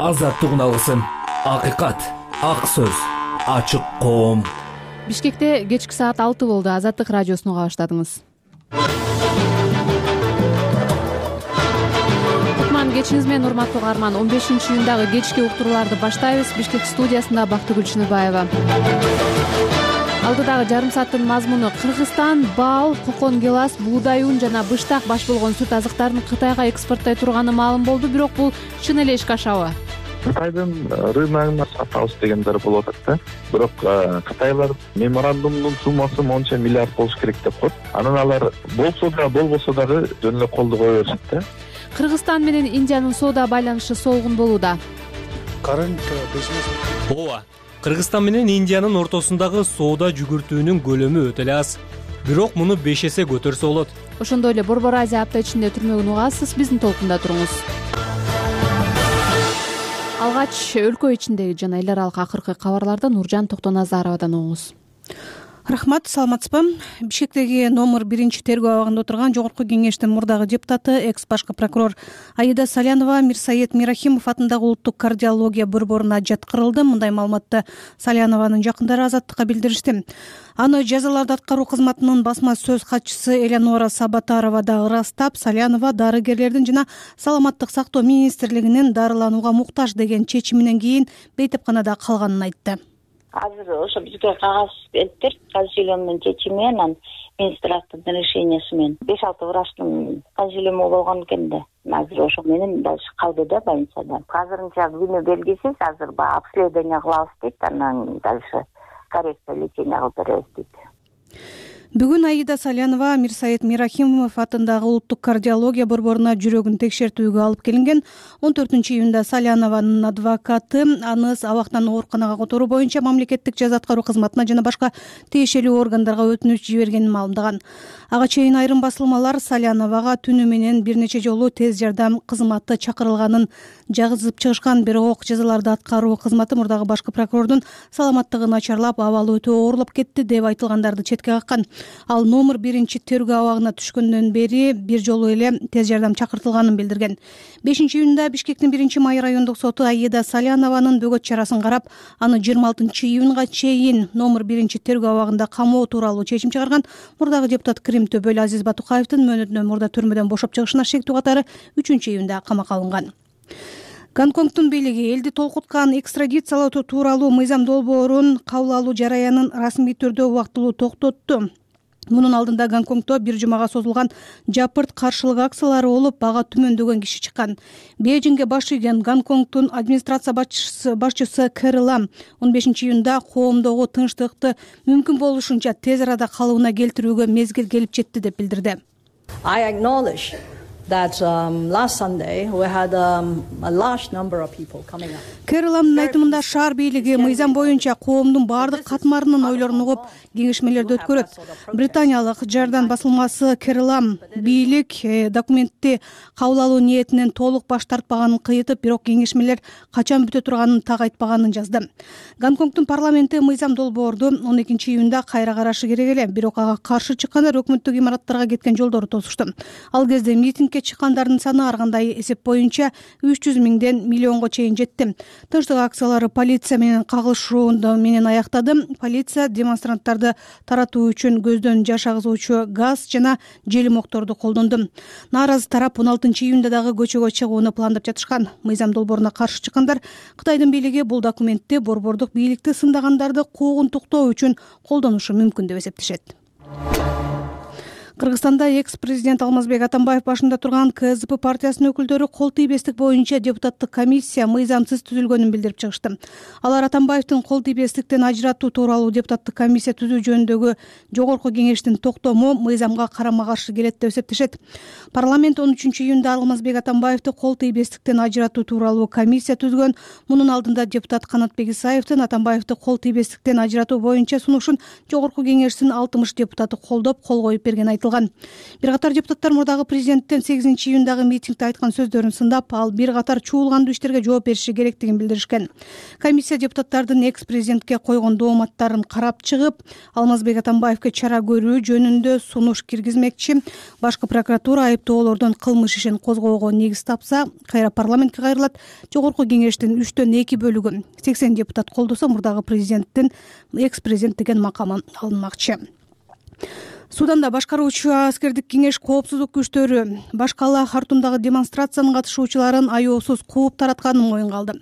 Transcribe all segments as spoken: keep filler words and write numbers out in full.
азаттыгын алгысың. Акыйкат, ак сөз, ачык коом. Бишкекте кечки саат алты болду. Азаттык радиосуну уга баштадыңыз. Кутман кечиңиз менен урматтуу каарман. он бешинчи июндагы кечки уктурууларды баштайбыз. Бишкек студиясында Бактыгүл Чыныбаева. Алдыдагы жарым сааттын мазмуну: Кыргызстан бал, кокон гелас, буудай ун жана быштак баш болгон сүт азыктарын Кытайга экспорттой турганы маалым болду. Бирок бул чын эле ишке ашабы? Кытайдын рыногуна сатабыз дегендер болуп атат да. Бирок Кытайлар меморандумдун суммасы монча миллиард болуш керек деп коет. Анан алар болсо да болбосо дагы жөн эле колду кое беришет да. Кыргызстан менен Индиянын соода байланышы солгун болууда. Ооба. Кыргызстан менен Индиянын ортосундагы соода жүгүртүүнүн көлөмү өтө эле аз. Бирок муну беш эсе көтөрсө болот. Ошондой эле Борбор Азия апта ичинде түрмөгүн угасыз. Биздин толкунда туруңуз. Алгач өлкө ичиндеги жана эл аралык акыркы кабарларды Нуржан Токтоназаровадан угуңуз. Рахмат, саламатсызбы? Бишкектеги номер биринчи тергөө абагында отурган Жогорку кеңештин мурдагы депутаты, экс башкы прокурор Аида Салянова Мирсаит Мирахимов атындагы улуттук кардиология борборуна жаткырылды. Мындай маалыматты Салянованын жакындары Азаттыкка билдиришти. Аны жазаларды аткаруу кызматынын басма сөз катчысы Элеонора Сабатарова да ырастап, Салянова дарыгерлердин жана Саламаттык сактоо министрлигинин дарыланууга муктаж деген чечиминен кийин бейтепканада калганын айтты. Азыр ошо бизге кагаз бериптир. Консилиумдун чечими менен министрликтин решениясы менен беш алты врачтын консилиуму болгон экен да. Азыр ошо менен дальше калды да больницада. Азырынча күнү белгисиз, азыр баягы обследование кылабыз дейт, анан дальше коррекция лечения кылып беребиз дейт. Бүгүн Аида Салянова Мирсаит Мирахимов атындагы улуттук кардиология борборуна жүрөгүн текшертүүгө алып келинген. он төртүнчү июнда Салянованын адвокаты аны абактан ооруканага которуу боюнча мамлекеттик жаза аткаруу кызматына жана башка тиешелүү органдарга өтүнүч жибергенин маалымдаган. Ага чейин айрым басылмалар Саляновага түнү менен бир нече жолу тез жардам кызматы чакырылганын жазып чыгышкан. Бирок жазаларды аткаруу кызматы мурдагы башкы прокурордун саламаттыгы начарлап, абалы өтө оорлоп кетти деп айтылгандарды четке каккан. Ал номер биринчи тергөө абагына түшкөндөн бери бир жолу эле тез жардам чакыртылганын билдирген. бешинчи июнда Бишкектин биринчи май райондук соту Аида Салянованын бөгөт чарасын карап, аны жыйырма алтынчы июнга чейин номер биринчи тергөө абагында камоо тууралуу чечим чыгарган. Мурдагы депутат Крим Төбөл Азиз Батукаевдин мөөнөтүнөн мурда түрмөдөн бошоп чыгышына шектүү катары үчүнчү июнда камакка алынган. Гонконгдун бийлиги элди толкуткан экстрадициялоо тууралуу мыйзам долбоорун кабыл алуу жараянын расмий түрдө убактылуу токтотту. Мунун алдында Гонконгдо бир жумага созулган жапырт каршылык акциялары болуп, бага түмөндөгөн киши чыккан. Бейжиңге баш ийген Гонконгдун администрация башчысы башчысы Кэри Лам он бешинчи июнда коомдогу тынчтыкты мүмкүн болушунча тез арада калыбына келтирүүгө мезгил келип жетти деп билдирди. I acknowledge that um, last Sunday we had um, a large number of people coming up. Кэри Ламдын айтымында шаар бийлиги мыйзам боюнча коомдун бардык катмарынын ойлорун угуп, кеңешмелерди өткөрөт. Британиялык Жардан басылмасы Кэри Лам бийлик документти кабыл алуу ниетинен толук баш тартпаганын кыйытып, бирок кеңешмелер качан бүтө турганын так айтпаганын жазды. Гонконгдун парламенти мыйзам долбоорду он экинчи июнда кайра карашы керек эле, бирок ага каршы чыккандар өкмөттүк имараттарга кеткен жолдорду тосушту. Ал кезде митингге чыккандардын саны ар кандай эсеп боюнча үч жүз миңден миллионго чейин жетти. Тынчтык акциялары полиция менен кагылышуу менен аяктады. Полиция демонстранттарды таратуу үчүн көздөн жаш агызуучу газ жана желим окторду колдонду. Нааразы тарап он алтынчы июнда дагы көчөгө чыгууну пландап жатышкан. Мыйзам долбооруна каршы чыккандар Кытайдын бийлиги бул документти борбордук бийликти сындагандарды куугунтуктоо үчүн колдонушу мүмкүн деп эсептешет. Кыргызстанда экс-президент Алмазбек Атамбаев башында турган КСДП партиясынын өкүлдөрү кол тийбестик боюнча депутаттык комиссия мыйзамсыз түзүлгөнүн билдирип чыгышты. Алар Атамбаевдин кол тийбестиктен ажыратуу тууралуу депутаттык комиссия түзүү жөнүндөгү Жогорку кеңештин токтому мыйзамга карама каршы келет деп эсептешет. Парламент он үчүнчү июнда Алмазбек Атамбаевди кол тийбестиктен ажыратуу тууралуу комиссия түзгөн. Мунун алдында депутат Канатбек Исаевдин Атамбаевди кол тийбестиктен ажыратуу боюнча сунушун Жогорку кеңештин алтымыш депутаты колдоп, кол коюп берген айтылат. айтылган. Бир катар депутаттар мурдагы президенттин сегизинчи июндагы митингде айткан сөздөрүн сындап, ал бир катар чуулгандуу иштерге жооп бериши керектигин билдиришкен. Комиссия депутаттардын экс президентке койгон дооматтарын карап чыгып, Алмазбек Атамбаевге чара көрүү жөнүндө сунуш киргизмекчи. Башкы прокуратура айыптоолордон кылмыш ишин козгоого негиз тапса, кайра парламентке кайрылат. Жогорку кеңештин үчтөн эки бөлүгү сексен депутат колдосо, мурдагы президенттин экс президент деген макамы алынмакчы. Суданда башкаруучу аскердик кеңеш коопсуздук күчтөрү баш калаа Хартумдагы демонстрациянын катышуучуларын аяосуз кууп таратканын моюнга алды.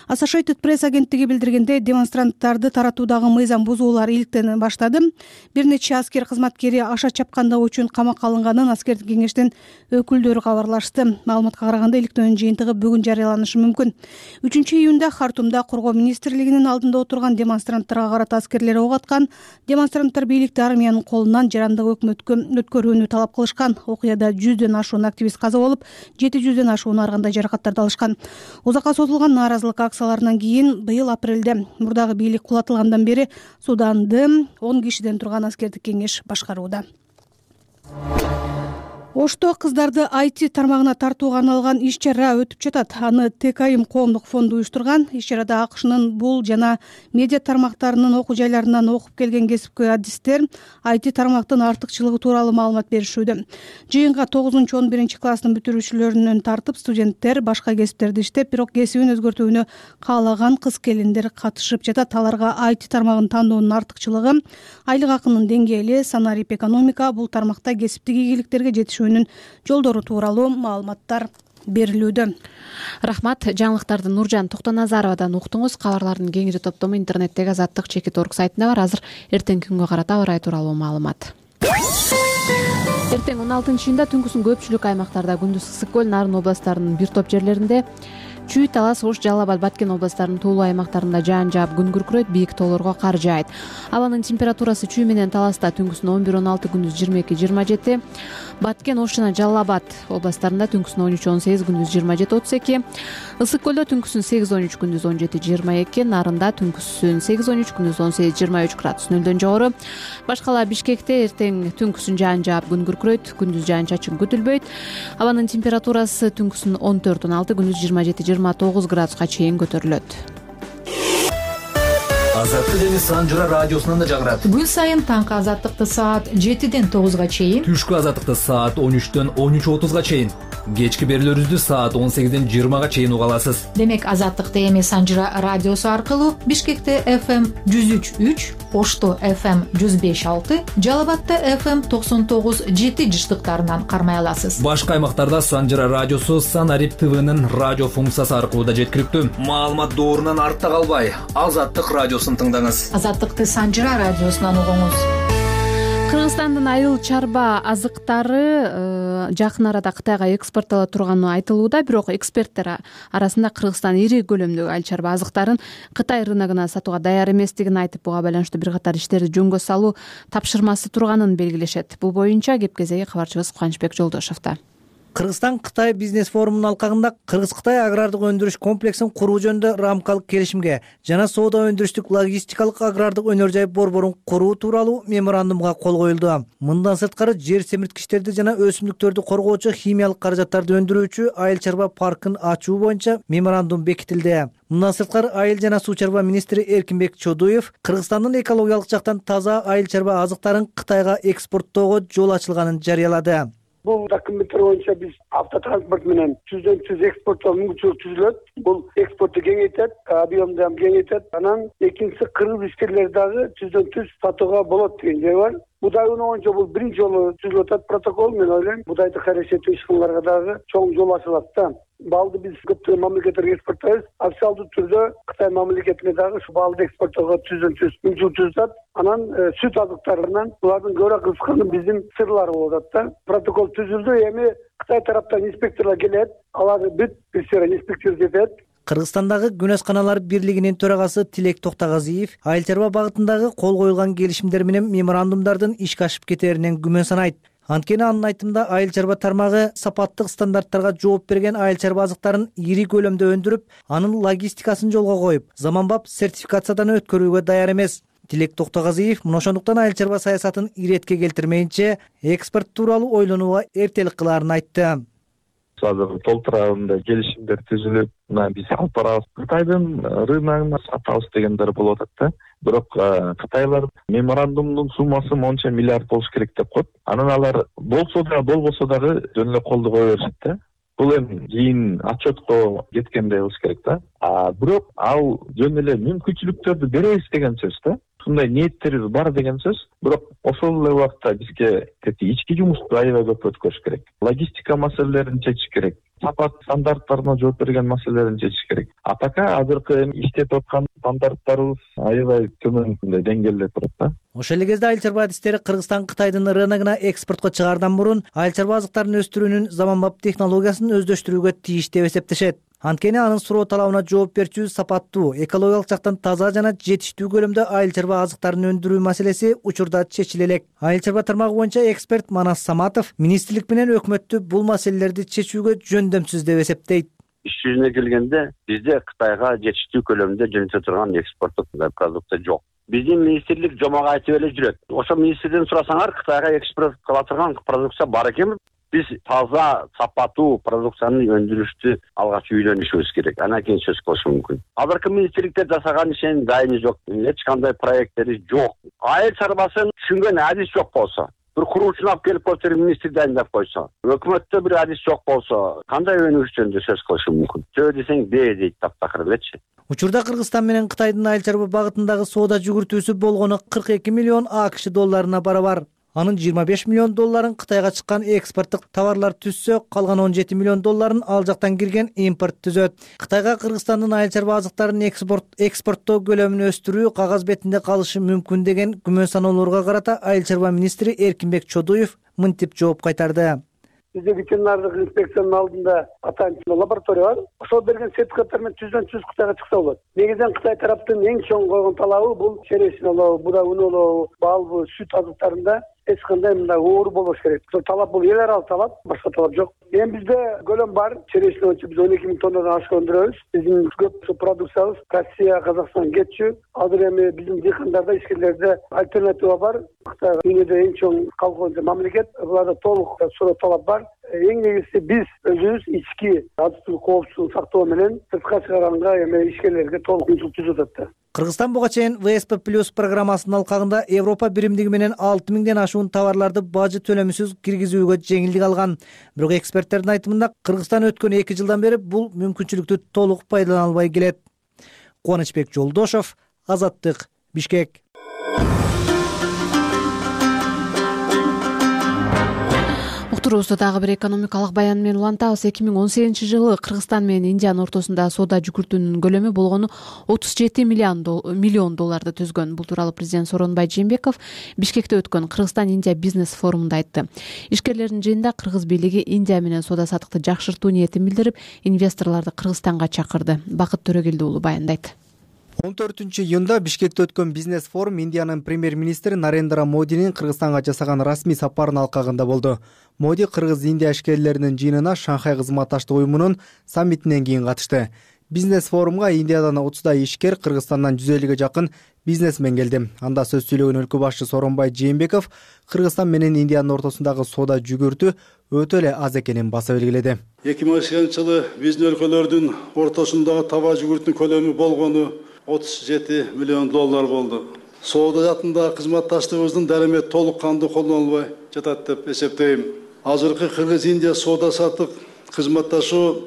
Associated Press агенттиги билдиргендей, демонстранттарды таратуудагы мыйзам бузуулар иликтене баштады. Бир нече аскер кызматкери аша чапкандыгы үчүн камакка алынганын аскердик кеңештин өкүлдөрү кабарлашты. Маалыматка караганда, иликтөөнүн жыйынтыгы бүгүн жарыяланышы мүмкүн. үчүнчү июнда Хартумда коргоо министрлигинин алдында отурган демонстранттарга карата аскерлер ок аткан. Демонстранттар бийликти армиянын колунан жарандык өкмөткө өткөрүүнү талап кылышкан. Окуяда жүздөн ашуун активист каза болуп, жети жүздөн ашуун ар кандай жаракаттарды алышкан. Узакка созулган нааразылык акцияларынан кийин быйыл апрелде мурдагы бийлик кулатылгандан бери Суданды он кишиден турган аскердик кеңеш башкарууда. Ошто кыздарды ай ти тармагына тартууга арналган иш-чара өтүп жатат. Аны ТКИМ коомдук фонду уюштурган. Иш-чарада АКШнын бул жана медиа тармактарынын окуу жайларынан окуп келген кесипкөй адистер ай ти тармактын артыкчылыгы тууралуу маалымат беришүүдө. Жыйынга тогузунчу он биринчи класстын бүтүрүүчүлөрүнөн тартып студенттер, башка кесиптерди иштеп, бирок кесибин өзгөртүүнү каалаган кыз-келиндер катышып жатат. Аларга ай ти тармагын тандоонун артыкчылыгы, айлык акынын деңгээли, санарип экономика, бул тармакта кесиптик ийгиликтерге жетишүү жолдору тууралуу маалыматтар берилүүдө. Рахмат. Жаңылыктарды Нуржан Токтоназаровадан уктуңуз. Кабарлардын кеңири топтому интернеттеги азаттык чекит орг сайтында бар. Азыр эртеңки күнгө карата аба ырайы тууралуу маалымат. Эртең он алтынчы июнда түнкүсүн көпчүлүк аймактарда, күндүз Ысык көл, Нарын областарынын бир топ жерлеринде, Чүй, Талас, Ош, Жалал Абад, Баткен областарынын туулуу аймактарында жаан жаап, күн күркүрөйт, бийик тоолорго кар жаайт. Абанын температурасы Чүй менен Таласта түнкүсүн он бир он алты, күндүз жыйырма эки жыйырма жети, Баткен, Ош жана Жалал Абад областарында түнкүсүн он үч он сегиз, күндүз жыйырма жети отуз эки, Ысык көлдө түнкүсүн сегиз он үч, күндүз он жети жыйырма эки, Нарында түнкүсүн сегиз он үч, күндүз он сегиз жыйырма үч градус нөлдөн жогору. Башкала Бишкекте эртең түнкүсүн жаан жаап, күн күркүрөйт, күндүз жаан чачын күтүлбөйт. Абанын температурасы түнкүсүн он төрт он алты, күндүз жыйырма жети жыйырма тогуз градуска чейин көтөрүлөт. Азаттык эми Санжыра радиосунан да жагырат. Күн сайын таңкы азаттыкты саат жетиден тогузга чейин, Түшкү азаттыкты саат он үчтөн он үч отузга чейин, кечки берүүлөрүбүздү саат он сегизден жыйырмага чейин уга аласыз. Демек, азаттыкты эми Санжыра радиосу аркылуу Бишкекте эф эм жүз үч үч, Ошто эф эм жүз беш алты, Жалал Абадта эф эм токсон тогуз жети жыштыктарынан кармай аласыз. Башка аймактарда Санжыра радиосу Санарип ТВнын радио функциясы аркылуу да жеткиликтүү. Маалымат доорунан артта калбай, Азаттык радиосун тыңдаңыз. Азаттыкты Санжыра радиосунан угуңуз. Кыргызстандын айыл чарба азыктары жакын арада Кытайга экспорттоло турганы айтылууда, бирок эксперттер арасында Кыргызстан ири көлөмдөгү айыл чарба азыктарын Кытай рыногуна сатууга даяр эместигин айтып, буга байланыштуу бир катар иштерди жөнгө салуу тапшырмасы турганын белгилешет. Бул боюнча кеп кезеги кабарчыбыз Кубанычбек Жолдошовдо. Кыргызстан Кытай бизнес форумунун алкагында Кыргыз-Кытай агрардык өндүрүш комплексин куруу жөнүндө рамкалык келишимге жана соода өндүрүштүк логистикалык агрардык өнөр жай борборун куруу тууралуу меморандумга кол коюлду. Мындан сырткары жер семирткичтерди жана өсүмдүктөрдү коргоочу химиялык каражаттарды өндүрүүчү айыл чарба паркын ачуу боюнча меморандум бекитилди. Мындан сырткары айыл жана суу чарба министри Эркинбек Чодуев Кыргызстандын экологиялык жактан таза айыл чарба азыктарын Кытайга экспорттоого жол ачылганын жарыялады. Бул документтер боюнча биз автотранспорт менен жүздөн жүз экспорттоо мүмкүнчүлүк түзүлөт. Бул экспортты кеңейтет, объемду да кеңейтет. Анан экинчиси кыргыз ишкерлер дагы жүздөн жүз сатууга болот деген жай бар. Будай унуу боюнча бул биринчи жолу түзүлүп атат протокол. Мен ойлойм, будайды карашеттүү иш-кыларга дагы чоң жол ачылат да. Балды биз көптөгөн мамлекеттерге экспорттойбуз. Официалдуу түрдө Кытай мамлекетине дагы ушу балды экспорттоого жүздөн жүз мүмкүнчүлүк түзүлөт. Анан сүт азыктарынан булардын көбүрөөк кызыкканы биздин сырлар болуп атат да. Протокол түзүлдү. Эми Кытай тараптан инспекторлор келет, алар бүт бир инспектор жетет. Кыргызстандагы күнөсканалар бирлигинин төрагасы Тилек Токтогазиев айыл чарба багытындагы кол коюлган келишимдер менен меморандумдардын ишке ашып кетеринен күмөн санайт. Анткени анын айтымында айыл чарба тармагы сапаттык стандарттарга жооп берген айыл чарба азыктарын ири көлөмдө өндүрүп, анын логистикасын жолго коюп, заманбап сертификациядан өткөрүүгө даяр эмес. Тилек Токтогазиев мына ошондуктан айыл чарба саясатын иретке келтирмейинче экспорт тууралуу ойлонууга эртелик кылаарын айтты. Азыр толтурабында келишимдер түзүлүп, мына биз алып барабыз. Кытайдын рыногуна сатабыз дегендер болуп атат да. Бирок кытайлар меморандумдун суммасы монча миллиард болуш керек деп коет. Анан алар болсо да болбосо дагы жөн эле колдо кое беришет да. Бул эми кийин отчетко кеткенде болуш керек да. А бирок ал жөн эле мүмкүнчүлүктөрдү беребиз деген сөз да. Ушундай ниеттерибиз бар деген сөз. Бирок ошол эле убакта бизге ички жумушту аябай көп өткөрүш керек. Логистика маселелерин чечиш керек. Сапат стандарттарына жооп берген маселелерин чечиш керек. А така азыркы иштетип аткан стандарттарыбыз аябай төмөн деңгээлде турат да. Ошол эле кезде айыл чарба адистери Кыргызстан Кытайдын рыногуна экспортко чыгаардан мурун айыл чарба азыктарын өстүрүүнүн заманбап технологиясын өздөштүрүүгө тийиш деп эсептешет. Анткени анын суроо талабына жооп берчү, сапаттуу, экологиялык жактан таза жана жетиштүү көлөмдө айыл чарба азыктарын өндүрүү маселеси учурда чечиле элек. Айыл чарба тармагы боюнча эксперт Манас Саматов министрлик менен өкмөттү бул маселелерди чечүүгө жөндөмсүз деп эсептейт. Иш жүзүнө келгенде бизде Кытайга жетиштүү көлөмдө жөнөтө турган экспорттук продукция жок. Биздин министрлик жомок айтып эле жүрөт. Ошо министрден сурасаңар, Кытайга экспорт кыла турган продукция бар экенби? Биз таза, сапаттуу продукцияны өндүрүштү алгач үйлөнүшүбүз керек. Анан кийин сөз кылыш мүмкүн. Азыркы министрликтер жасаган ишенин дайыны жок, эч кандай проекттери жок. Айыл чарбасын түшүнгөн адис жок болсо, бир куруучуну алып келип коюп министр дайындап койсо, өкмөттө бир адис жок болсо, кандай өнүгүш жөнүндө сөз кылыш мүмкүн? Жөө десең бээ дейт таптакыр элечи. Учурда Кыргызстан менен Кытайдын айыл чарба багытындагы соода жүгүртүүсү болгону кырк эки миллион АКШ долларына барабар. Анын жыйырма беш миллион долларын Кытайга чыккан экспорттук товарлар түзсө, калган он жети миллион долларын ал жактан кирген импорт түзөт. Кытайга Кыргызстандын айыл чарба азыктарын экспорт экспорттоо көлөмүн өстүрүү кагаз бетинде калышы мүмкүн деген күмөн саноолорго карата айыл чарба министри Эркинбек Чодуев мынтип жооп кайтарды. Бизде ветеринардык инспекциянын алдында атайын лаборатория бар. Ошол берген сертификаттар менен түздөн түз Кытайга чыкса болот. Негизинен Кытай тараптын эң чоң койгон талабы бул черешин олобу, буда үн олобу, бал, сүт азыктарында эч кандай мындай оор болбош керек. Ошол талап бул эл аралык талап, башка талап жок. Эми бизде көлөм бар. Черешин боюнча биз он эки миң тоннадан ашык өндүрөбүз. Биздин көп продукциябыз Россия, Казакстан кетчү. Азыр эми биздин дыйкандарда, ишкерлерде альтернатива бар. Кытай дүйнөдө эң чоң колхоз мамлекет. Буларда толук суроо талап бар. Эң негизгиси биз өзүбүз ички азык-түлүк коопсуздугун сактоо менен сыртка чыгарганга эми ишкерлерге толук мүмкүнчүлүк түзүп атат. Кыргызстан буга чейин вэ эс пэ плюс программасынын алкагында Европа биримдиги менен алты миңден ашуун товарларды бажы төлөмүсүз киргизүүгө жеңилдик алган. Бирок эксперттердин айтымында Кыргызстан өткөн эки жылдан бери бул мүмкүнчүлүктү толук пайдалана албай келет. Кубанычбек Жолдошов, Азаттык, Бишкек. Уктуруубузду дагы бир экономикалык баян менен улантабыз. эки миң он сегизинчи жылы Кыргызстан менен Индиянын ортосунда соода жүгүртүүнүн көлөмү болгону отуз жети миллион долларды түзгөн. Бул тууралуу президент Сооронбай Жээнбеков Бишкекте өткөн Кыргызстан-Индия бизнес форумунда айтты. Ишкерлердин жыйынында Кыргыз бийлиги Индия менен соода саттыкты жакшыртуу ниетин билдирип, инвесторлорду Кыргызстанга чакырды. Бакыт Төрөгелди уулу баяндайт. он төртүнчү июнда Бишкекте өткөн бизнес форум Индиянын премьер-министри Нарендра Модинин Кыргызстанга жасаган расмий сапарынын алкагында болду. Моди Кыргыз-Индия ишкерлеринин жыйынына Шанхай кызматташтык уюмунун саммитинен кийин катышты. Бизнес форумга Индиядан отуздай ишкер, Кыргызстандан жүз элүүгө жакын бизнесмен келди. Анда сөз сүйлөгөн өлкө башчы Сооронбай Жээнбеков Кыргызстан менен Индиянын ортосундагы соода жүгүртүү өтө эле аз экенин баса белгиледи. эки миң он сегизинчи жылы биздин өлкөлөрдүн ортосундагы таба жүгүртүүнүн көлөмү болгону отуз жети миллион доллар болду. Соода жаатындагы кызматташтыгыбыздын дарамет толук кандуу колдонулбай жатат деп эсептейм. Азыркы Кыргыз-Индия соода саттык кызматташуу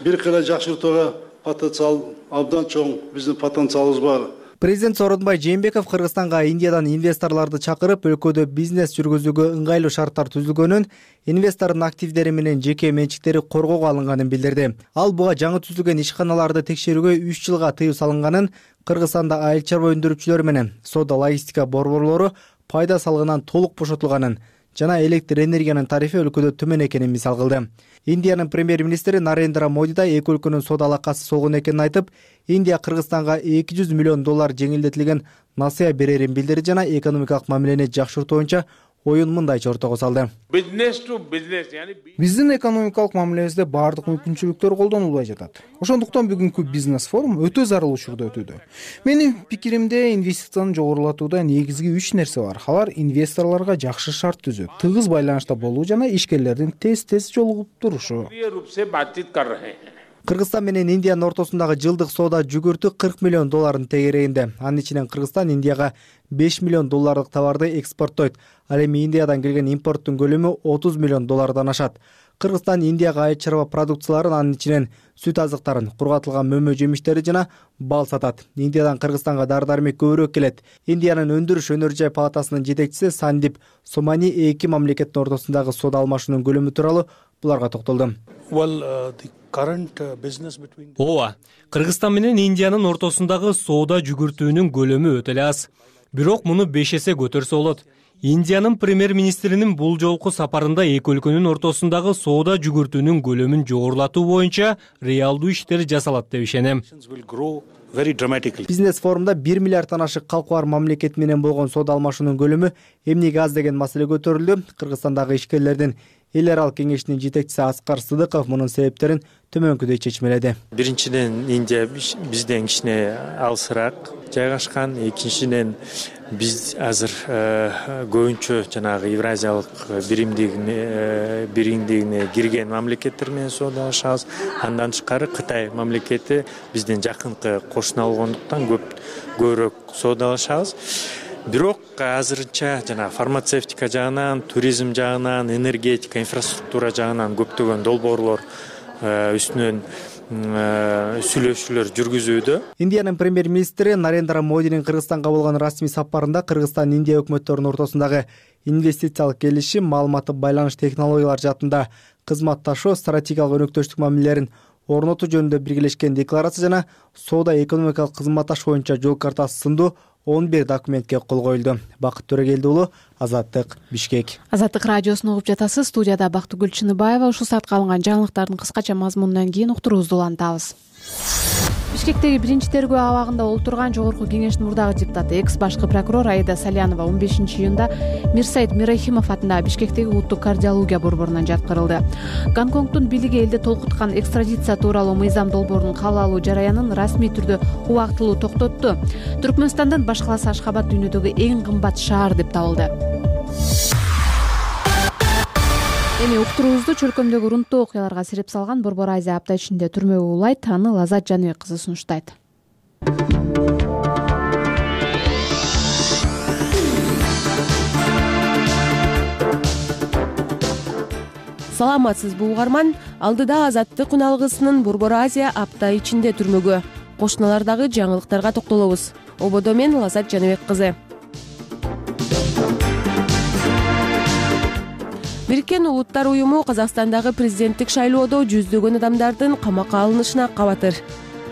бир кыйла жакшыртууга потенциал абдан чоң, биздин потенциалыбыз бар. Президент Сооронбай Жээнбеков Кыргызстанга Индиядан инвесторлорду чакырып, өлкөдө бизнес жүргүзүүгө ыңгайлуу шарттар түзүлгөнүн, инвестордун активдери менен жеке менчиктери коргоого алынганын билдирди. Ал буга жаңы түзүлгөн ишканаларды текшерүүгө үч жылга тыюу салынганын, Кыргызстанда айыл чарба өндүрүүчүлөр менен соода логистика борборлору пайда салыгынан толук бошотулганын жана электр энергиянын тарифи өлкөдө төмөн экенин мисал кылды. Индиянын премьер-министри Нарендра Моди да эки өлкөнүн соода алакасы солгон экенин айтып, Индия Кыргызстанга эки жүз миллион доллар жеңилдетилген насыя берерин билдирди жана экономикалык мамилени жакшыртуу боюнча оюн мындайча ортого салды. Биздин экономикалык мамилебизде баардык мүмкүнчүлүктөр колдонулбай жатат. Ошондуктан бүгүнкү бизнес форум өтө зарыл учурда өтүүдө. Менин пикиримде инвестицияны жогорулатууда негизги үч нерсе бар. Алар инвесторлорго жакшы шарт түзүү, тыгыз байланышта болуу жана ишкерлердин тез-тез жолугуп турушу. Кыргызстан менен Индиянын ортосундагы жылдык соода жүгүртү кырк миллион доллардын тегерегинде. Анын ичинен Кыргызстан Индияга беш миллион доллардык товарды экспорттойт. Ал эми Индиядан келген импорттун көлөмү отуз миллион доллардан ашат. Кыргызстан Индияга айыл чарба продукцияларын, анын ичинен сүт азыктарын, кургатылган мөмө жемиштери жана бал сатат. Индиядан Кыргызстанга дары-дармек көбүрөөк келет. Индиянын өндүрүш өнөр жай палатасынын жетекчиси Сандип Сомани эки мамлекеттин ортосундагы соода алмашуунун көлөмү тууралуу буларга токтолду. Ооба, Кыргызстан менен Индиянын ортосундагы соода жүгүртүүнүн көлөмү өтө эле аз. Бирок муну беш эсе көтөрсө болот. Индиянын премьер-министринин бул жолку сапарында эки өлкөнүн ортосундагы соода жүгүртүүнүн көлөмүн жогорулатуу боюнча реалдуу иштер жасалат деп ишенем. Бизнес форумда бир миллиарддан ашык калкы бар мамлекет менен болгон соода алмашуунун көлөмү эмнеге аз деген маселе көтөрүлдү. Кыргызстандагы ишкерлердин эл аралык кеңешинин жетекчиси Аскар Сыдыков мунун себептерин төмөнкүдөй чечмеледи. Биринчиден, Индия бизден кичине алысыраак жайгашкан. Экинчиден, биз азыр көбүнчө жанагы Евразиялык биримдигине биримдигине кирген мамлекеттер менен соодалашабыз. Андан тышкары Кытай мамлекети бизден жакынкы кошуна болгондуктан көп көбүрөөк соодалашабыз. Бирок азырынча жана фармацевтика жагынан, туризм жагынан, энергетика, инфраструктура жагынан көптөгөн долбоорлор үстүнөн сүйлөшүүлөр жүргүзүүдө. Индиянын премьер-министри Нарендра Модинин Кыргызстанга болгон расмий сапарында Кыргызстан Индия өкмөттөрүнүн ортосундагы инвестициялык келишим, маалыматтык байланыш технологиялар жаатында кызматташуу, стратегиялык өнөктөштүк мамилелерин орнотуу жөнүндө биргелешкен декларация жана соода экономикалык кызматташ боюнча жол картасы сындуу он бир документке кол коюлду. Бакыт Төрөгелди уулу, Азаттык, Бишкек. Азаттык радиосун угуп жатасыз. Студияда Бактыгүл Чыныбаева. Ушул саатка алынган жаңылыктардын кыскача мазмунунан кийин уктуруубузду улантабыз. Бишкектеги биринчи тергөө абагында олтурган Жогорку кеңештин мурдагы депутаты, экс башкы прокурор Аида Салянова он бешинчи июнда Мирсайыт Мирахимов атындагы Бишкектеги улуттук кардиология борборунан жаткырылды. Гонконгдун бийлиги элди толкуткан экстрадиция тууралуу мыйзам долбоорунун кабыл алуу жараянын расмий түрдө убактылуу токтотту. Түркмөнстандын баш калаасы Ашхабад дүйнөдөгү эң кымбат шаар деп табылды. Эми уктуруубузду чөлкөмдөгү урунттуу окуяларга сирип салган Борбор Азия апта ичинде түрмөгө улайт. Аны Лазат Жаныбек кызы сунуштайт. Саламатсызбы угарман, алдыда Азаттык үналгысынын Борбор Азия апта ичинде түрмөгө кошуналардагы жаңылыктарга токтолобуз. Ободо мен Лазат Жаныбек кызы. Бириккен Улуттар уюму Казакстандагы президенттик шайлоодо жүздөгөн адамдардын камакка алынышына кабатыр.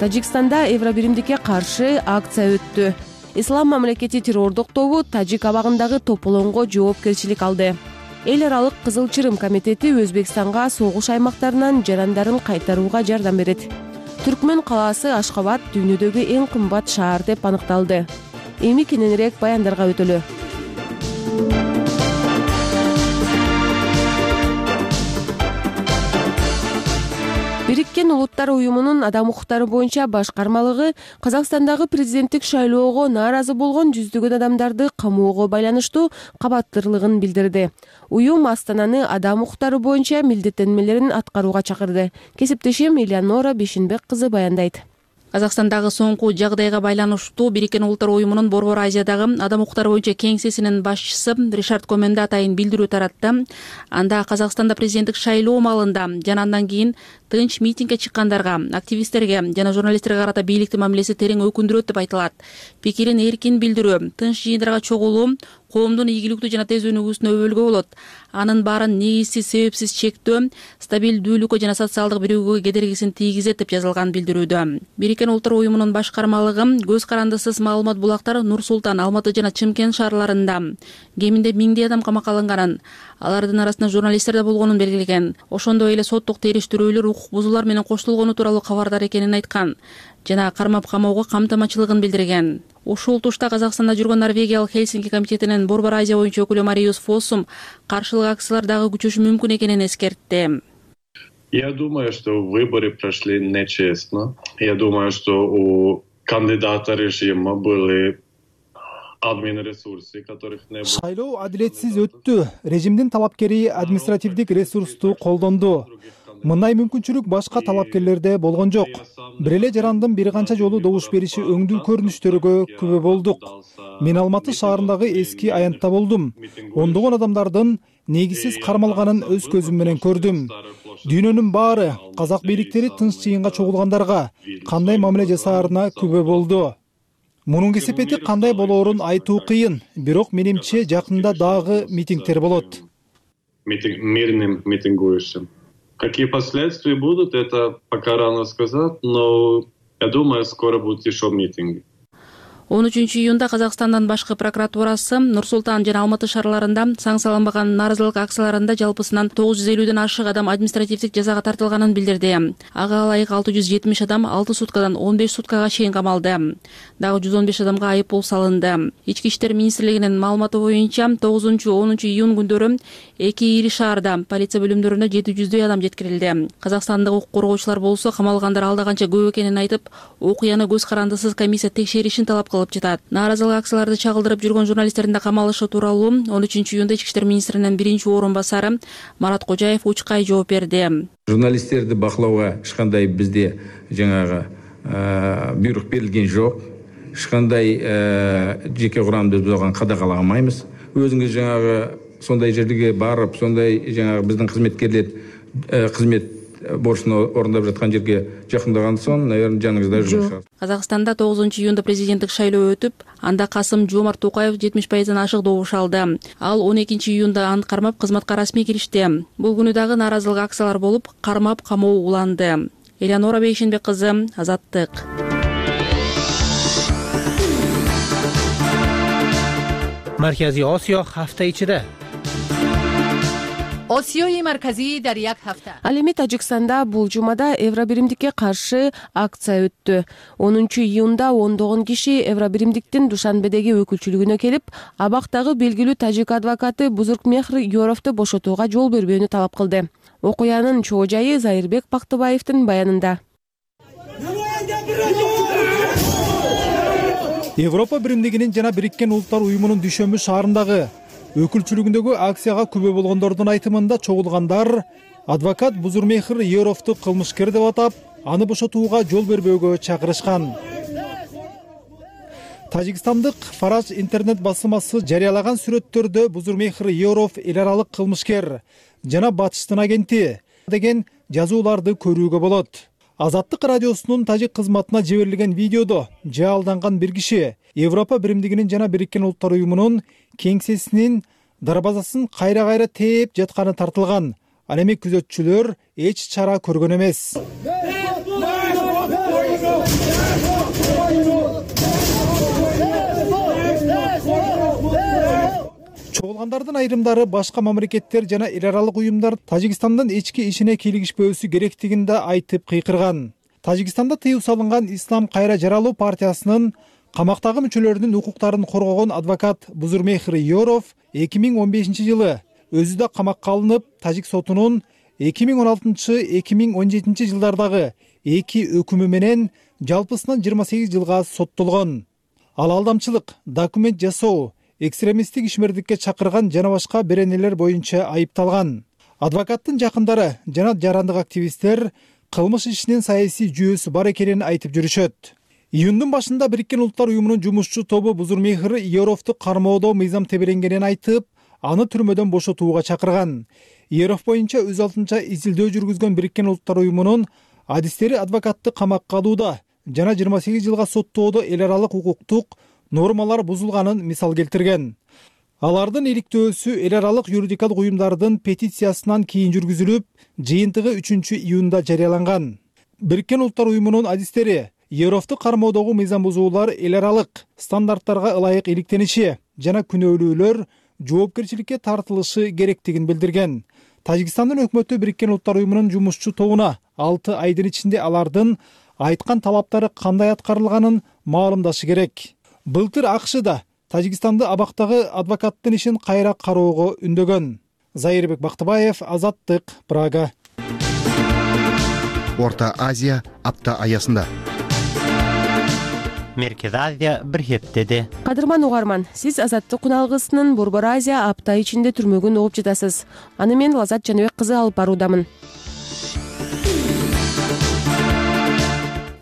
Тажикстанда Евробиримдикке каршы акция өттү. Ислам мамлекети террордук тобу Тажик абагындагы тополоңго жоопкерчилик алды. Эл аралык Кызыл Чырым комитети Өзбекстанга согуш аймактарынан жарандарын кайтарууга жардам берет. Түркмөн калаасы Ашхабад дүйнөдөгү эң кымбат шаар деп аныкталды. Эми кененирээк баяндарга өтөлү. Бириккен Улуттар уюмунун адам укуктары боюнча башкармалыгы Казакстандагы президенттик шайлоого нааразы болгон жүздөгөн адамдарды камоого байланыштуу кабаттырлыгын билдирди. Уюм Астананы адам укуктары боюнча милдеттенмелерин аткарууга чакырды. Кесиптешим Элеонора Бешинбек кызы баяндайт. Казакстандагы соңку жагдайга байланыштуу Бириккен Улуттар уюмунун Борбор Азиядагы адам укуктары боюнча кеңсесинин башчысы Ришард Коменди атайын билдирүү таратты. Анда Казакстанда президенттик шайлоо маалында жана андан кийин тынч митингге чыккандарга, активисттерге жана журналисттерге карата бийликтин мамилеси терең өкүндүрөт деп айтылат. Пикирин эркин билдирүү, тынч жыйындарга чогулуу коомдун ийгиликтүү жана тез өнүгүүсүнө өбөлгө болот. Анын баарын негизсиз, себепсиз чектөө стабилдүүлүккө жана социалдык биригүүгө кедергисин тийгизет деп жазылган билдирүүдө. Бириккен Улуттар уюмунун башкармалыгы көз карандысыз маалымат булактар Нур Султан, Алматы жана Чымкент шаарларында кеминде миңдей адам камакка алынганын, Алардын арасында журналисттер да болгонун белгилеген. Ошондой эле соттук териштирүүлөр укук бузуулар менен коштолгону тууралуу кабардар экенин айткан жана кармап камоого камтамачылыгын билдирген. Ушул тушта Казакстанда жүргөн Норвегиялык Хельсинки комитетинин Борбор Азия боюнча өкүлү Мариус Фоссум каршылык акциялар дагы күчөшү мүмкүн экенин эскертти. Я думаю, что выборы прошли нечестно. Я думаю, что у кандидата режима были админ ресурсы, которых не было. Шайлоо адилетсиз өттү. Режимдин талапкери административдик ресурсту колдонду. Мындай мүмкүнчүлүк башка талапкерлерде болгон жок. Бир эле жарандын бир канча жолу добуш бериши өңдүү көрүнүштөргө күбө болдук. Мен Алматы шаарындагы эски аянтта болдум. Ондогон адамдардын негизсиз кармалганын өз көзүм менен көрдүм. Дүйнөнүн баары казак бийликтери тынч жыйынга чогулгандарга кандай мамиле жасаарына күбө болду. Мунун кесепети кандай болоорун айтуу кыйын, бирок менимче жакында дагы митингдер болот. Мирным митингующим. Какие последствия будут, это пока рано сказать, но я думаю, скоро будут еще митинги. он үчүнчү июнда Казакстандын башкы прокуратурасы Нур Султан жана Алматы шаарларында санкцияланбаган нааразылык акцияларында жалпысынан тогуз жүз элүүдөн ашык адам административдик жазага тартылганын билдирди. Ага ылайык алты жүз жетимиш адам алты суткадан он беш суткага чейин камалды. Дагы жүз он беш адамга айып пул салынды. Ички иштер министрлигинин маалыматы боюнча тогузунчу онунчу июнь күндөрү эки ири шаарда полиция бөлүмдөрүнө жети жүздөй адам жеткирилди. Казакстандык укук коргоочулар болсо камалгандар алда канча көп экенин айтып, окуяны көз карандысыз комиссия текшеришин талап кылып жатат. Нааразылык акцияларды чагылдырып жүргөн журналисттердин да камалышы тууралуу он үчүнчү июнда ички иштер министринин биринчи орун басары Марат Кожаев учкай жооп берди. Журналисттерди бакылоого эч кандай бизде жаңагы буйрук берилген жок. Эч кандай жеке курамды бузган кадгаламайбыз. Өзүңүз жаңагы сондай жерге барып, сондай жаңагы биздин кызметкерлер кызмет борчун орундап жаткан жерге жакындаган соң, наверное, жаныңызда жүрүшөт. Казакстанда тогузунчу июнда президенттик шайлоо өтүп, анда Касым Жомарт Токаев жетимиш пайыздан ашык добуш алды. Ал он экинчи июнда аны кармап кызматка расмий киришти. Бул күнү дагы нааразылык акциялар болуп, кармап камоо уланды. Элеонора Бейшенбек кызы, Азаттык. Маркази Осиё hafta ichida. Осиёи марказӣ дар як ҳафта. Ал эми Тажикстанда бул жумада евробиримдикке каршы акция өттү. онунчу июнда ондогон киши евробиримдиктин Душанбедеги өкүлчүлүгүнө келип, абактагы белгилүү тажик адвокаты Бузуркмехр Йоровду бошотууга жол бербөөнү талап кылды. Окуянын чоо жайы Зайырбек Бактыбаевдин баянында. Европа биримдигинин жана Бириккен Улуттар уюмунун Дүйшөмбү шаарындагы өкүлчүлүгүндөгү акцияга күбө болгондордун айтымында чогулгандар адвокат Бузурмехр Йоровду кылмышкер деп атап, аны бошотууга жол бербөөгө чакырышкан. Тажикстандык Фараж интернет басылмасы жарыялаган сүрөттөрдө Бузурмехр Йоров эл аралык кылмышкер жана батыштын агенти деген жазууларды көрүүгө болот. Азаттык радиосунун тажик кызматына жиберилген видеодо жаалданган бир киши Европа биримдигинин жана Бириккен Улуттар уюмунун кеңсесинин дарбазасын кайра-кайра тээп жатканы тартылган. Ал эми күзөтчүлөр эч чара көргөн эмес. Чогулгандардын айрымдары башка мамлекеттер жана эл аралык уюмдар Тажикстандын ички ишине кийлигишпөөсү керектигин да айтып кыйкырган. Тажикстанда тыюу салынган Ислам кайра жаралуу партиясынын камактагы мүчөлөрүнүн укуктарын коргогон адвокат Бузурмехр Йоров эки миң он бешинчи жылы өзү да камакка алынып, тажик сотунун эки миң он алтынчы — эки миң он жетинчи жылдардагы эки өкүмү менен жалпысынан жыйырма сегиз жылга соттолгон. Ал алдамчылык, документ жасоо, экстремисттик ишмердикке чакырган жана башка беренелер боюнча айыпталган. Адвокаттын жакындары жана жарандык активисттер кылмыш ишинин саясий жүйөсү бар экенин айтып жүрүшөт. Июндун башында Бириккен Улуттар уюмунун жумушчу тобу Бузурмехр Йоровду кармоодо мыйзам теберенгенин айтып, аны түрмөдөн бошотууга чакырган. Йоров боюнча өз алдынча изилдөө жүргүзгөн Бириккен Улуттар уюмунун адистери адвокатты камакка алууда жана жыйырма сегиз жылга соттоодо эл аралык укуктук нормалар бузулганын мисал келтирген. Алардын иликтөөсү эл аралык юридикалык уюмдардын петициясынан кийин жүргүзүлүп, жыйынтыгы үчүнчү июнда жарыяланган. Бириккен Улуттар уюмунун адистери Йоровду кармоодогу мыйзам бузуулар эл аралык стандарттарга ылайык иликтениши жана күнөөлүүлөр жоопкерчиликке тартылышы керектигин билдирген. Тажикстандын өкмөтү Бириккен Улуттар уюмунун жумушчу тобуна алты айдын ичинде алардын айткан талаптары кандай аткарылганын маалымдашы керек. Былтыр АКШ да Тажикстанды абактагы адвокаттын ишин кайра кароого үндөгөн. Зайырбек Бактыбаев, Азаттык, Прага. Орто Азия апта аясында. Меркез Азия бир хептеди. Кадырман угарман, сиз Азаттык куналгысынын Борбор Азия апта ичинде түрмөгүн угуп жатасыз. Аны мен Лазат Жаныбек кызы алып баруудамын.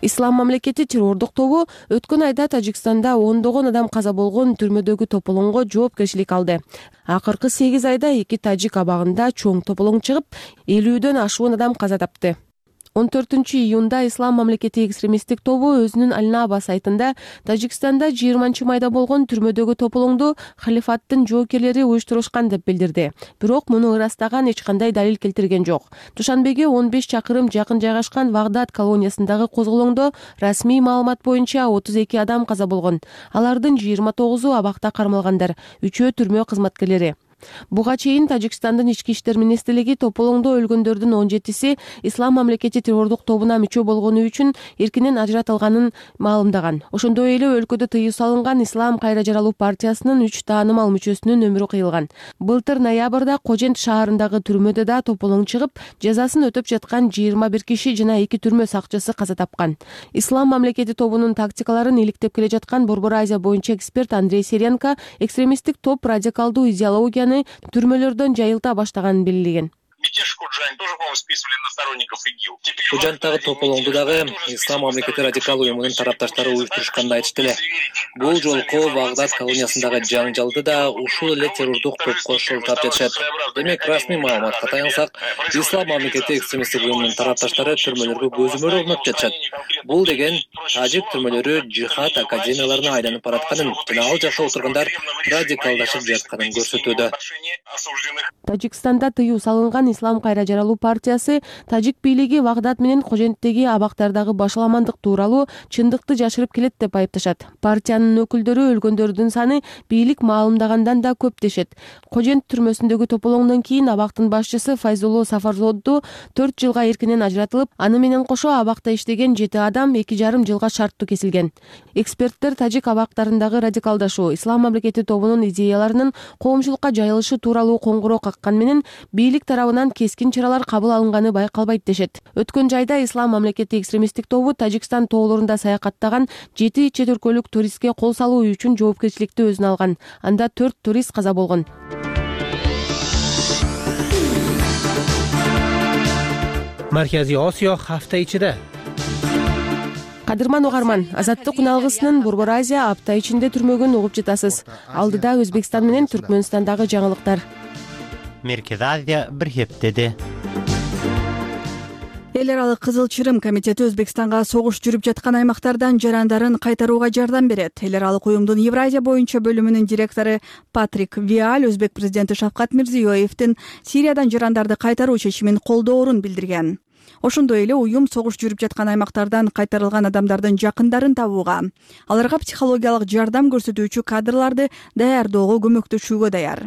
Ислам мамлекети террордук тобу өткөн айда Тажикстанда ондогон адам каза болгон түрмөдөгү тополоңго жоопкерчилик алды. Акыркы сегиз айда эки тажик абагында чоң тополоң чыгып, элүүдөн ашуун адам каза тапты. он төртүнчү июнда Ислам мамлекети экстремисттик тобу өзүнүн Аль-Наба сайтында Тажикстанда жыйырманчы майда болгон түрмөдөгү тополоңду халифаттын жоокерлери уюштурушкан деп билдирди. Бирок муну ырастаган эч кандай далил келтирген жок. Душанбеге он беш чакырым жакын жайгашкан Вагдад колониясындагы козголоңдо расмий маалымат боюнча отуз эки адам каза болгон. Алардын жыйырма тогузу абакта кармалгандар, үчөө түрмө кызматкерлери. Буга чейин Тажикстандын ички иштер министрлиги тополоңдо өлгөндөрдүн он жетиси Ислам мамлекети террордук тобуна мүчө болгону үчүн эркинен ажыратылганын маалымдаган. Ошондой эле өлкөдө тыюу салынган Ислам кайра жаралуу партиясынын үч таанымал мүчөсүнүн өмүрү кыйылган. Былтыр ноябрда Кожент шаарындагы түрмөдө да тополоң чыгып, жазасын өтөп жаткан жыйырма бир киши жана эки түрмө сакчысы каза тапкан. Ислам мамлекети тобунун тактикаларын иликтеп келе жаткан Борбор Азия боюнча эксперт Андрей Серенко экстремисттик топ радикалдуу идеологияны түрмөлөрдөн жайылта баштаганын белгилеген. Мятеж Коджань тоже, по-моему, списывали на сторонников ИГИЛ. Коджанттагы тополоңду дагы Ислам мамлекети радикал уюмунун тарапташтары уюштурушканын айтышты эле. Бул жолку Вагдад колониясындагы жаңжалды да ушул эле террордук топко шылтап жатышат. Демек, расмий маалыматка таянсак, Ислам мамлекети экстремисттик уюмунун тарапташтары түрмөлөргө көзөмөл орнотуп жатышат. Бул деген тажик түрмөлөрү жихад академияларына айланып баратканын жана ал жакта отургандар радикалдашып жатканын көрсөтүүдө. Тажикстанда тыюу салынган Ислам кайра жаралуу партиясы тажик бийлиги Вагдад менен Коженттеги абактардагы башаламандык тууралуу чындыкты жашырып келет деп айыпташат. Партиянын өкүлдөрү өлгөндөрдүн саны бийлик маалымдагандан да көп дешет. Кожент түрмөсүндөгү тополоңдон кийин абактын башчысы Файзулло Сафарзоду төрт жылга эркинен ажыратылып, аны менен кошо абакта иштеген жети адам эки жарым жылга шарттуу кесилген. Эксперттер тажик абактарындагы радикалдашуу, Ислам мамлекети тобунун идеяларынын коомчулукка жайылышы тууралуу коңгуроо каккан менен бийлик тарабынан кескин чаралар кабыл алынганы байкалбайт дешет. Өткөн жайда Ислам мамлекети экстремисттик тобу Тажикстан тоолорунда саякаттаган жети чет өлкөлүк туристке кол салуу үчүн жоопкерчиликти өзүнө алган. Анда төрт турист каза болгон. Марказий Осиё hafta ичиде. Кадырман угарман, Азаттык куналгысынын Борбор Азия апта ичинде түрмөгүн угуп жатасыз. Алдыда Өзбекстан менен Түркмөнстандагы жаңылыктар. Меркез Азия бир хептеди. Эл аралык Кызыл Чырым комитети Өзбекстанга согуш жүрүп жаткан аймактардан жарандарын кайтарууга жардам берет. Эл аралык уюмдун Евразия боюнча бөлүмүнүн директору Патрик Виаль Өзбек президенти Шавкат Мирзиёевдин Сириядан жарандарды кайтаруу чечимин колдоорун билдирген. Ошондой эле уюм согуш жүрүп жаткан аймактардан кайтарылган адамдардын жакындарын табууга, аларга психологиялык жардам көрсөтүүчү кадрларды даярдоого көмөктөшүүгө даяр.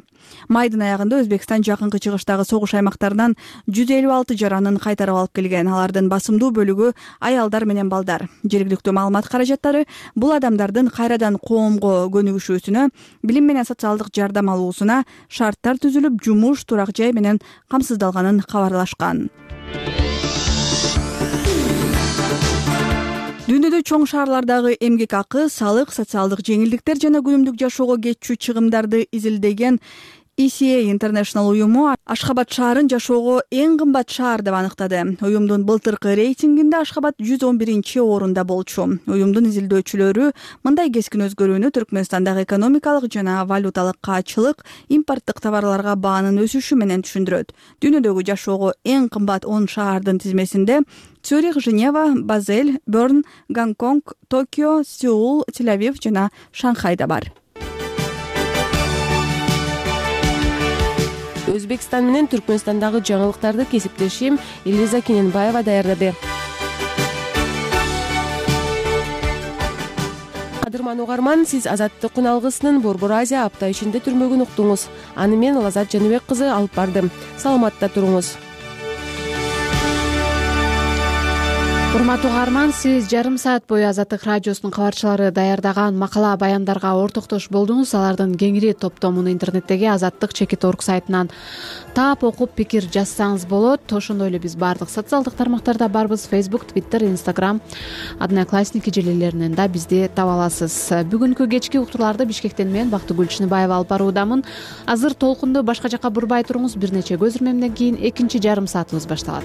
Майдын аягында Өзбекстан жакынкы чыгыштагы согуш аймактарынан жүз элүү алты жаранын кайтарып алып келген. Алардын басымдуу бөлүгү аялдар менен балдар. Жергиликтүү маалымат каражаттары бул адамдардын кайрадан коомго көнүгүшүүсүнө, билим менен социалдык жардам алуусуна шарттар түзүлүп, жумуш, турак жай менен камсыздалганын кабарлашкан. Дүйнөдө чоң шаарлардагы эмгек акы, салык, социалдык жеңилдиктер жана күнүмдүк жашоого кетчү чыгымдарды изилдеген И Си Эй International уюму Ашхабад шаарын жашоого эң кымбат шаар деп аныктады. Уюмдун былтыркы рейтингинде Ашхабад жүз он биринчи орунда болчу. Уюмдун изилдөөчүлөрү мындай кескин өзгөрүүнү Түркмөнстандагы экономикалык жана валюталык каачылык, импорттук товарларга баанын өсүшү менен түшүндүрөт. Дүйнөдөгү жашоого эң кымбат он шаардын тизмесинде Цюрих, Женева, Базель, Берн, Гонконг, Токио, Сеул, Тель-Авив жана Шанхай да бар. Өзбекстан менен Түркмөнстандагы жаңылыктарды кесиптешим Элиза Кененбаева даярдады. кадырман угарман, сиз Азаттык алгысынын Борбор Азия апта ичинде түрмөгүн уктуңуз. Аны мен Лазат Жаныбек кызы алып бардым. Саламатта туруңуз. Урматтуу угарман, сиз жарым саат бою Азаттык радиосунун кабарчылары даярдаган макала баяндарга ортоктош болдуңуз. Алардын кеңири топтомун интернеттеги азаттык чекит орг сайтынан таап окуп пикир жазсаңыз болот. Ошондой эле биз баардык социалдык тармактарда барбыз. Facebook, Twitter, Instagram, Одноклассники желелеринен да бизди таба аласыз. Бүгүнкү кечки уктурларды Бишкектен мен Бактыгүл Чыныбаева алып баруудамын. Азыр толкунду башка жака бурбай туруңуз. Бир нече көз ирмемден кийин экинчи жарым саатыбыз башталат.